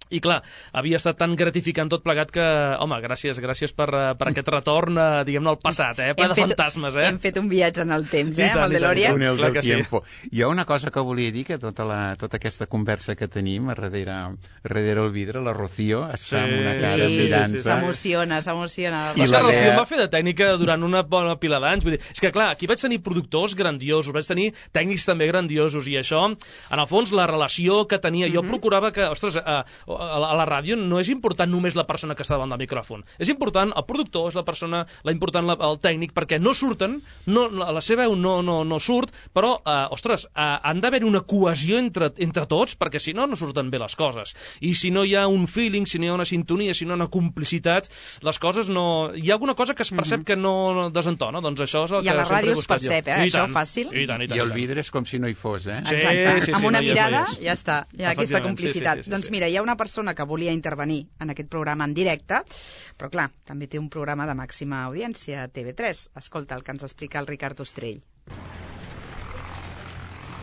I clar, havia estat tan gratificant tot plegat que, home, gràcies, gràcies per, per aquest retorn, diguem-ne, al passat, eh? Ple de fet, fantasmes, eh? Hem fet un viatge en el temps, eh? Amb el DeLorean. Túnel del tiempo. Sí. Hi ha una cosa que volia dir, que tota, la, tota aquesta conversa que tenim a darrere, a darrere el vidre, la Rocío està sí, amb una cara sí, mirant-se. Sí, sí, s'emociona, s'emociona. I la Rocío va fer de tècnica durant una bona pila d'anys. Vull dir, és que, clar, aquí vaig tenir productors grandiosos, vaig tenir tècnics també grandiosos, i això, en el fons, la relació que tenia, jo mm-hmm. procurava que, ostres, a, a, a la ràdio no és important només la persona que està davant del micròfon. És important el productor, és la persona, la important la, el tècnic, perquè no surten, no, la seva veu no, no, no surt, però, eh, ostres, eh, han d'haver una cohesió entre, entre tots, perquè si no, no surten bé les coses. I si no hi ha un feeling, si no hi ha una sintonia, si no hi ha una complicitat, les coses no... Hi ha alguna cosa que es percep mm-hmm. que no desentona, doncs això és el I que a la ràdio es percep, eh? I Això tant, fàcil. I, tant, i, tant, I el vidre és com si no hi fos, eh? Sí, exacte. sí, sí, amb una no és, mirada no ja està, hi ha aquesta complicitat. Sí, sí, sí, doncs sí. mira, hi ha una persona que volia intervenir en aquest programa en directe, però clar, també té un programa de màxima audiència a T V tres. Escolta el que ens explica el Ricard Ostrell.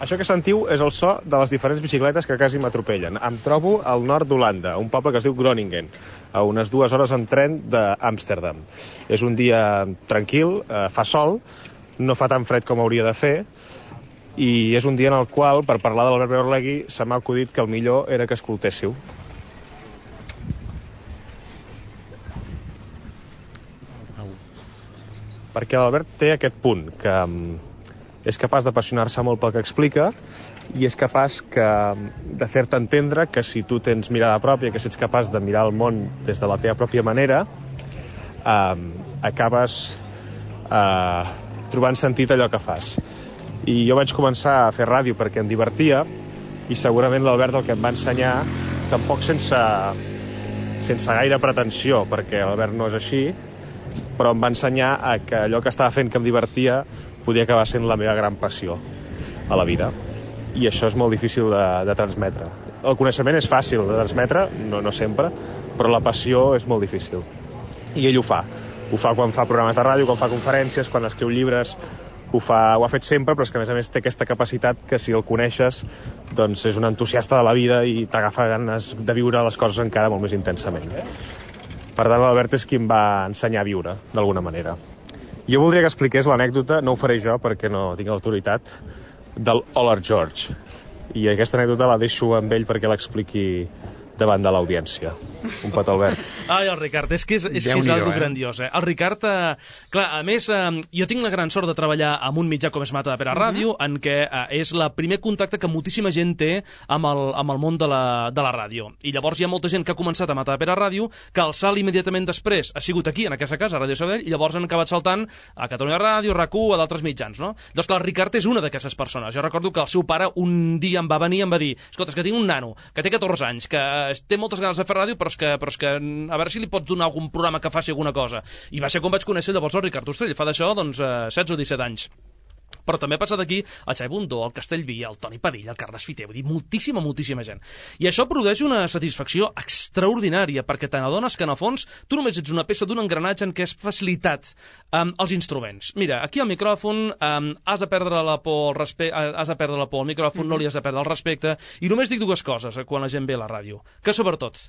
Això que sentiu és el so de les diferents bicicletes que quasi m'atropellen. Em trobo al nord d'Holanda, un poble que es diu Groningen, a unes dues hores en tren d'Amsterdam. És un dia tranquil, eh, fa sol, no fa tan fred com hauria de fer, i és un dia en el qual, per parlar de l'Albert Beorlegui, se m'ha acudit que el millor era que escoltéssiu. Perquè l'Albert té aquest punt, que és capaç d'apassionar-se molt pel que explica i és capaç que, de fer-te entendre que si tu tens mirada pròpia, que si ets capaç de mirar el món des de la teva pròpia manera, eh, acabes eh, trobant sentit allò que fas. I jo vaig començar a fer ràdio perquè em divertia i segurament l'Albert el que em va ensenyar, tampoc sense, sense gaire pretensió, perquè l'Albert no és així, però em va ensenyar a que allò que estava fent que em divertia podia acabar sent la meva gran passió a la vida. I això és molt difícil de, de transmetre. El coneixement és fàcil de transmetre, no, no sempre, però la passió és molt difícil. I ell ho fa. Ho fa quan fa programes de ràdio, quan fa conferències, quan escriu llibres, ho, fa, ho ha fet sempre, però és que a més a més té aquesta capacitat que si el coneixes doncs és un entusiasta de la vida i t'agafa ganes de viure les coses encara molt més intensament. Per tant, l'Albert és qui em va ensenyar a viure, d'alguna manera. Jo voldria que expliqués l'anècdota, no ho faré jo perquè no tinc autoritat, del Holler George. I aquesta anècdota la deixo amb ell perquè l'expliqui davant de l'audiència. Un petó, Albert. Ai, el Ricard, és que és, és, que és algo eh? grandiós, eh? El Ricard, eh, clar, a més, eh, jo tinc la gran sort de treballar amb un mitjà com és Mata de Pere Ràdio, uh -huh. en què eh, és el primer contacte que moltíssima gent té amb el, amb el món de la, de la ràdio. I llavors hi ha molta gent que ha començat a Mata de Pere Ràdio, que el salt immediatament després ha sigut aquí, en aquesta casa, a Ràdio Sabadell, i llavors han acabat saltant a Catalunya Ràdio, R A C U, a d'altres mitjans, no? Llavors, clar, el Ricard és una d'aquestes persones. Jo recordo que el seu pare un dia em va venir i em va dir: escolta, és que tinc un nano que té catorze anys, que eh, té moltes ganes de fer ràdio, però és que, però és que a veure si li pots donar algun programa que faci alguna cosa. I va ser com vaig conèixer llavors el Ricard Ostrell, fa d'això doncs eh, setze o disset anys. Però també ha passat aquí el Xavi Bundó, el Castellví, el Toni Padilla, el Carles Fiter, vull dir, moltíssima, moltíssima gent. I això produeix una satisfacció extraordinària, perquè te n'adones que, en el fons, tu només ets una peça d'un engranatge en què has facilitat um, els instruments. Mira, aquí al micròfon um, has de perdre la por al respe... has de perdre la por al micròfon, mm-hmm. no li has de perdre el respecte, i només dic dues coses quan la gent ve a la ràdio, que sobretot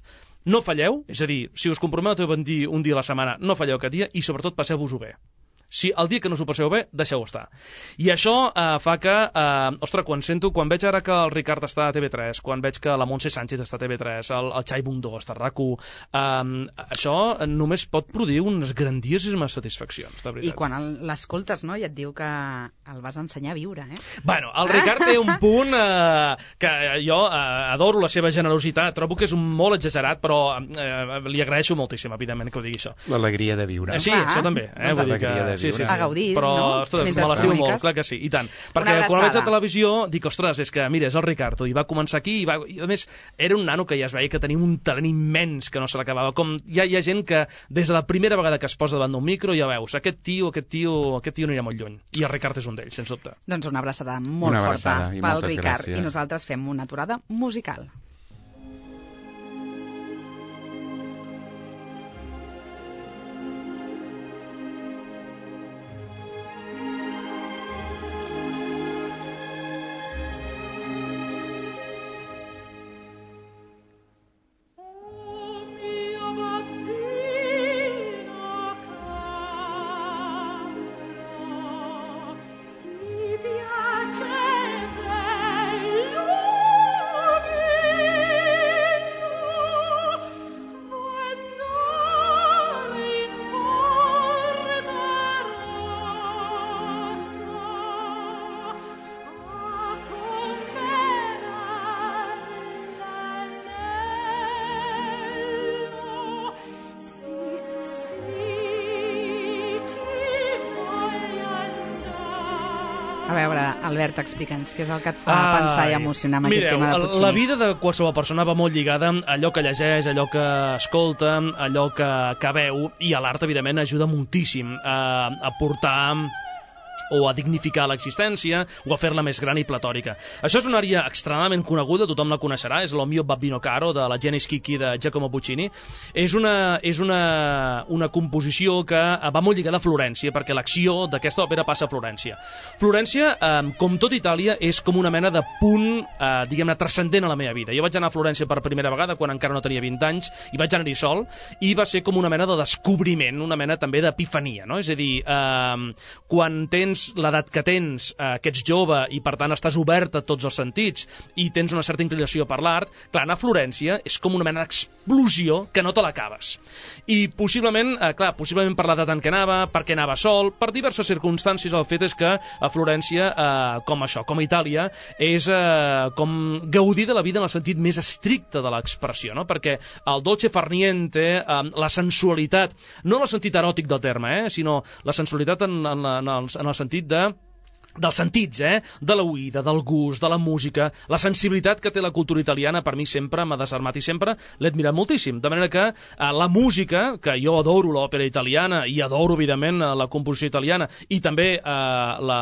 no falleu, és a dir, si us comprometeu a dir un dia a la setmana, no falleu aquest dia, i sobretot passeu-vos-ho bé. Si el dia que no s'ho passeu bé, deixeu estar. I això eh, fa que, eh, ostres, quan sento, quan veig ara que el Ricard està a T V tres, quan veig que la Montse Sánchez està a T V tres, el, el Xavi Bundó està a R A C U, eh, això només pot produir unes grandiosíssimes satisfaccions, de veritat. I quan l'escoltes, no?, i et diu que el vas ensenyar a viure, eh? Bueno, el Ricard té un punt eh, que jo eh, adoro la seva generositat, trobo que és un molt exagerat, però eh, li agraeixo moltíssim, evidentment, que ho digui això. L'alegria de viure. Eh, sí, ah, això també. Eh? Doncs Vull dir que, sí, sí, sí. A gaudir, però, no? Ostres, Mentre me l'estimo comuniques. molt, clar que sí, i tant. Perquè quan el veig a televisió dic, ostres, és que, mira, és el Ricardo, i va començar aquí, i, va... i a més, era un nano que ja es veia que tenia un talent immens que no se l'acabava. Com hi ha, hi ha gent que des de la primera vegada que es posa davant d'un micro ja veus, aquest tio, aquest tio, aquest tio anirà molt lluny. I el Ricard és un d'ells, sens dubte. Doncs una abraçada molt una forta abraçada, pel Ricard. gràcies. I nosaltres fem una aturada musical. A veure, Albert, explica'ns què és el que et fa Ai, pensar i emocionar amb mireu, aquest tema de Puccini. La vida de qualsevol persona va molt lligada a allò que llegeix, allò que escolta, allò que, que veu, i a l'art, evidentment, ajuda moltíssim a, a portar o a dignificar l'existència, o a fer-la més gran i platòrica. Això és una àrea extremadament coneguda, tothom la coneixerà, és l'O mio Babbino Caro, de la Genesi Chicchi de Giacomo Puccini. És una, és una, una composició que va molt lligada a Florència, perquè l'acció d'aquesta òpera passa a Florència. Florència, eh, com tot Itàlia, és com una mena de punt, eh, diguem-ne, transcendent a la meva vida. Jo vaig anar a Florència per primera vegada, quan encara no tenia vint anys, i vaig anar-hi sol, i va ser com una mena de descobriment, una mena també d'epifania, no? És a dir, eh, quan tens tens l'edat que tens, eh, que ets jove i per tant estàs obert a tots els sentits i tens una certa inclinació per l'art, clar, anar a Florència és com una mena d'explosió que no te l'acabes. I possiblement, eh, clar, possiblement per l'edat en què anava, perquè anava sol, per diverses circumstàncies, el fet és que a Florència, eh, com això, com a Itàlia, és eh, com gaudir de la vida en el sentit més estricte de l'expressió, no? Perquè el dolce far niente, eh, la sensualitat, no en el sentit eròtic del terme, eh, sinó la sensualitat en, en, en, el, en el sentit de dels sentits, eh? De l'oïda, del gust, de la música, la sensibilitat que té la cultura italiana, per mi sempre m'ha desarmat i sempre l'he admirat moltíssim. De manera que eh, la música, que jo adoro l'òpera italiana i adoro, evidentment, la composició italiana i també eh, la,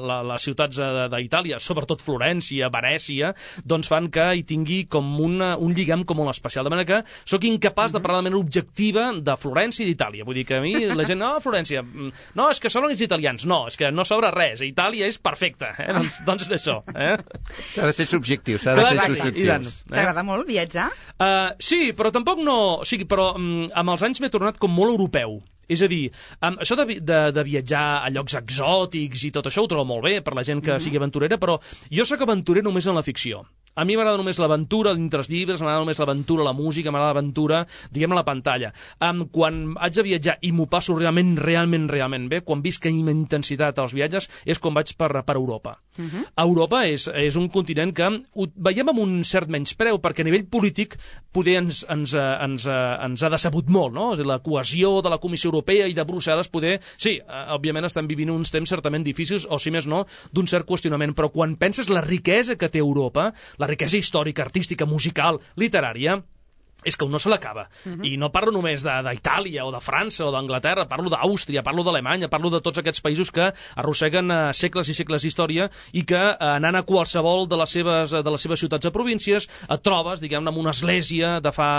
la, les ciutats d'Itàlia, sobretot Florència, Venècia, doncs fan que hi tingui com una, un lligam com molt especial. De manera que sóc incapaç de parlar de manera objectiva de Florència i d'Itàlia. Vull dir que a mi la gent, no, Florència, no, és que sobren els italians. No, és que no sobra res. A Itàlia és perfecte, eh? doncs, doncs això. Eh? S'ha de ser subjectiu, s'ha de ser subjectiu. Eh? T'agrada molt viatjar? Uh, sí, però tampoc no... O sigui, però um, amb els anys m'he tornat com molt europeu. És a dir, um, això de, de, de viatjar a llocs exòtics i tot això ho trobo molt bé per la gent que mm-hmm. sigui aventurera, però jo sóc aventurer només en la ficció. A mi m'agrada només l'aventura dintre els llibres, m'agrada només l'aventura a la música, m'agrada l'aventura, diguem, a la pantalla. Um, quan haig de viatjar i m'ho passo realment, realment, realment bé, quan visc amb intensitat als viatges, és quan vaig per, per Europa. Uh-huh. Europa és, és un continent que ho veiem amb un cert menyspreu, perquè a nivell polític poder ens, ens, ens, ens ha decebut molt, no? La cohesió de la Comissió Europea i de Brussel·les poder... Sí, òbviament estem vivint uns temps certament difícils, o si més no, d'un cert qüestionament, però quan penses la riquesa que té Europa, la riquesa històrica, artística, musical, literària, és que un no se l'acaba. Uh-huh. I no parlo només d'Itàlia o de França o d'Anglaterra, parlo d'Àustria, parlo d'Alemanya, parlo de tots aquests països que arrosseguen uh, segles i segles d'història i que uh, anant a qualsevol de les seves, de les seves ciutats o províncies et trobes, diguem-ne, amb una església de fa,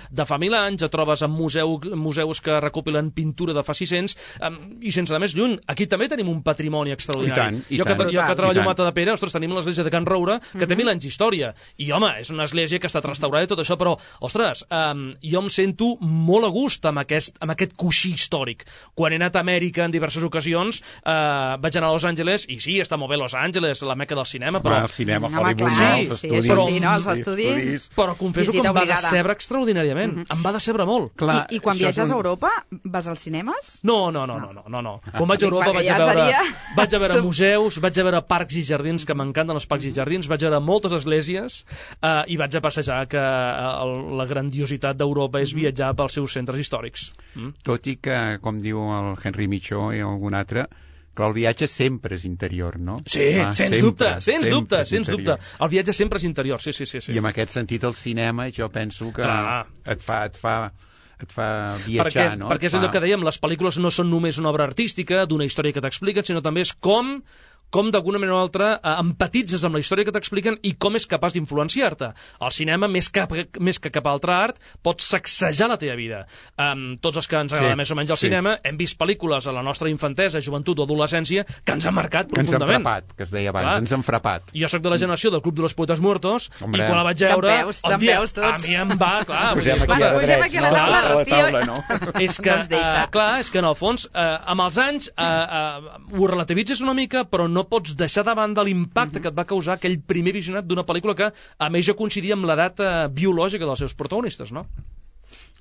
de fa mil anys, et trobes amb museu, museus que recopilen pintura de fa sis-cents, um, i sense anar més lluny, aquí també tenim un patrimoni extraordinari. I tant, i jo, que, tant, jo que treballo a tant. Matadepera, ostres, tenim l'església de Can Roure, que uh-huh. té mil anys d'història. I, home, és una església que ha estat restaurada i tot això, però, ostres, Um, jo em sento molt a gust amb aquest, amb aquest coixí històric. Quan he anat a Amèrica en diverses ocasions, uh, vaig anar a Los Angeles, i sí, està molt bé Los Angeles, la meca del cinema, però... Ah, el cinema, Home, Hollywood, clar, no, els sí, estudis. això sí, no, els estudis... estudis. Però confesso que em va decebre extraordinàriament. Uh-huh. Em va decebre molt. Clar, I, I quan viatges un... a Europa, vas als cinemes? No, no, no, no, no, no, no. Quan vaig a Europa vaig a ja veure, seria... vaig a veure museus, vaig a veure parcs i jardins, que m'encanten els parcs i jardins, vaig a veure moltes esglésies, uh, i vaig a passejar, que uh, la grandiositat d'Europa és viatjar pels seus centres històrics. Mm? Tot i que, com diu el Henry Michó i algun altre, que el viatge sempre és interior, no? Sí, ah, sens sempre, dubte, sens dubte, sens dubte. El viatge sempre és interior, sí, sí, sí, sí. I en aquest sentit el cinema jo penso que Clar. et fa... Et fa et fa viatjar, perquè, no? Perquè és allò que dèiem, les pel·lícules no són només una obra artística, d'una història que t'expliquen, sinó també és com... com d'alguna manera o altra eh, empatitzes amb la història que t'expliquen i com és capaç d'influenciar-te. El cinema, més que, més que cap altre art, pot sacsejar la teva vida. Um, tots els que ens agrada sí, més o menys el sí. cinema hem vist pel·lícules a la nostra infantesa, joventut o adolescència que ens han marcat profundament. Ens han frapat, que es deia abans, Clar. ens han frapat. Jo sóc de la generació del Club de los Poetes Muertos Hombre. i quan la vaig veure... Te'n veus, te'n veus tots. A mi em va, clar... Posem dir, aquí, posem aquí a la taula, Rocío. No? És que, uh, clar, és que en el fons, uh, amb els anys, uh, uh, ho relativitzes una mica, però no pots deixar davant de l'impacte mm-hmm. que et va causar aquell primer visionat d'una pel·lícula que, a més, ja coincidia amb l'edat uh, biològica dels seus protagonistes, no?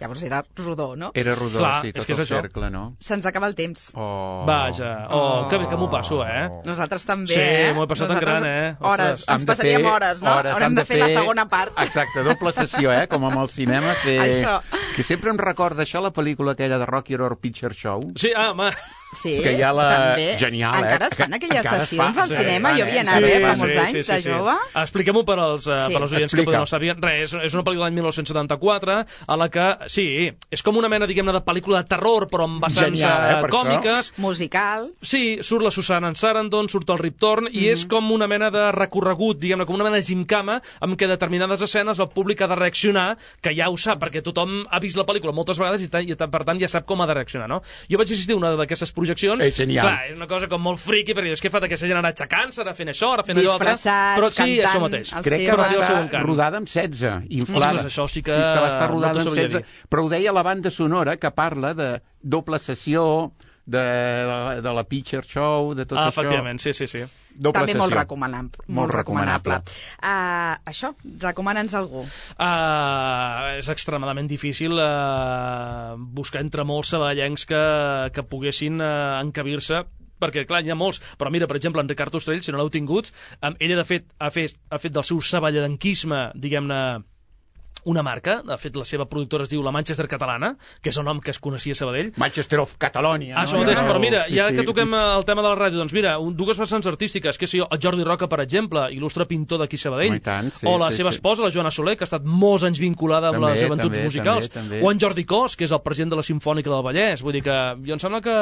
Llavors era rodó, no? Era rodó, Clar, sí, tot és el això. cercle, no? Se'ns acaba el temps. Oh. Vaja, oh, oh. que bé que m'ho passo, eh? Nosaltres també, sí, eh? Sí, m'ho he passat Nosaltres, en gran, eh? Hores, ens passaríem fer, hores, no? Hores, Haurem de fer, fer la segona part. Exacte, doble sessió, eh? Com amb el cinema. Fer... Això. Que sempre em recorda això, la pel·lícula aquella de Rocky Horror Picture Show. Sí, ah, home... Sí, que hi ha la... també. Genial, eh? Encara es fan aquelles sessions al sí, cinema? sí, Jo havia anat, sí, eh, fa sí, molts sí, anys, sí, de sí, jove. Sí. Expliquem-ho per als, uh, sí. per als oients Explica. que potser no sabien. Res, és, és una pel·lícula de dinou setanta-quatre a la que, sí, és com una mena, diguem-ne, de pel·lícula de terror, però amb vessants Genial, eh, còmiques. Això. Musical. Sí, surt la Susan Sarandon, surt el Rip Torn, mm -hmm. i és com una mena de recorregut, diguem-ne, com una mena de gimcama, amb què determinades escenes el públic ha de reaccionar, que ja ho sap, perquè tothom ha vist la pel·lícula moltes vegades i, i per tant ja sap com ha de reaccionar, no? Jo vaig assistir a una d'aquestes projeccions. És genial. Clar, és una cosa com molt friqui, perquè és que fa aquesta gent anar aixecant-se, ara fent això, ara fent allò altre. Disfressats, però sí, cantant, això mateix. Crec que va estar rodada amb setze, inflada. Ostres, això sí que... Sí, que va estar rodada no amb setze. Però ho deia la banda sonora, que parla de doble sessió, de, de la Pitcher Show, de tot ah, això. Efectivament, sí, sí, sí. Doble També sessió. molt recomanable. Molt, molt recomanable. Uh, això, recomana'ns algú. Uh, és extremadament difícil uh, buscar entre molts saballencs que, que poguessin uh, encabir-se, perquè, clar, hi ha molts, però mira, per exemple, en Ricard Ostrell, si no l'heu tingut, um, ella, de fet, ha fet, ha fet del seu saballenquisme, diguem-ne, una marca, de fet la seva productora es diu la Manchester Catalana, que és el nom que es coneixia a Sabadell. Manchester of Catalonia. Això no? mateix, Ja, però mira, sí, ja sí. que toquem el tema de la ràdio, doncs mira, un, dues vessants artístiques, que sé jo, el Jordi Roca, per exemple, il·lustre pintor d'aquí a Sabadell, oh, tant, sí, o la sí, seva sí. esposa, la Joana Soler, que ha estat molts anys vinculada amb també, les joventuts també, musicals, també, també. o en Jordi Cos, que és el president de la Simfònica del Vallès. Vull dir que jo em sembla que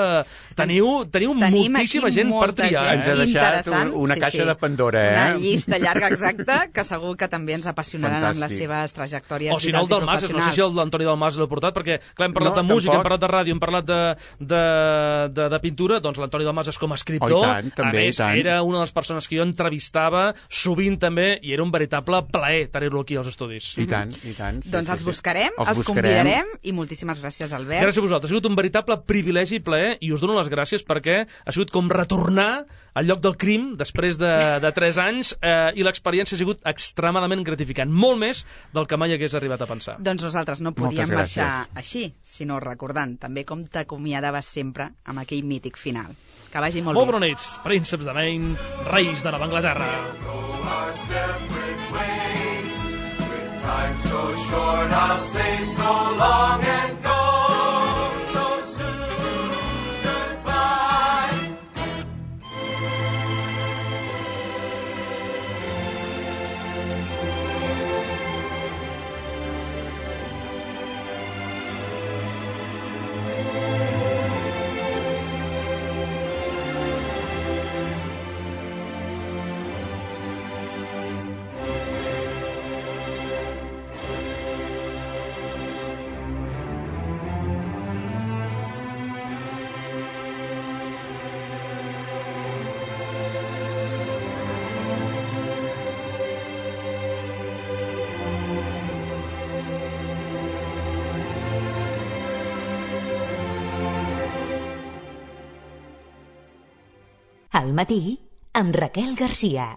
teniu, teniu Tenim moltíssima gent per triar. gent Ens ha deixat interessant. una Sí, caixa sí. de Pandora, eh? Una llista llarga, exacta, que segur que també ens apassionaran amb les Fantàstic. seves trajectòries O si no, el vitals i del Mas, no sé professionals. si el d'Antoni Dalmas l'he portat, perquè clar, hem parlat No, de música, tampoc. hem parlat de ràdio, hem parlat de, de, de, de pintura, doncs l'Antoni Dalmas és com a escriptor, Oh, i tant, també, a més, i tant. era una de les persones que jo entrevistava sovint també, i era un veritable plaer tenir-lo aquí als estudis. I tant, i tant. Sí, Doncs sí, els sí. buscarem, els, els buscarem. convidarem, i moltíssimes gràcies, Albert. Gràcies a vosaltres, ha sigut un veritable privilegi i plaer, i us dono les gràcies perquè ha sigut com retornar al lloc del crim després de, de tres anys, eh, i l'experiència ha sigut extremadament gratificant, molt més del que mai hagués arribat a pensar. Doncs nosaltres no Moltes podíem marxar gràcies. així, sinó recordant també com t'acomiadaves sempre amb aquell mític final. Que vagi molt, Molt bé. bona nit, prínceps de Maine, reis de Nova Anglaterra. Time so short, I'll say so long and go so soon. Goodbye. Al matí, amb Raquel Garcia.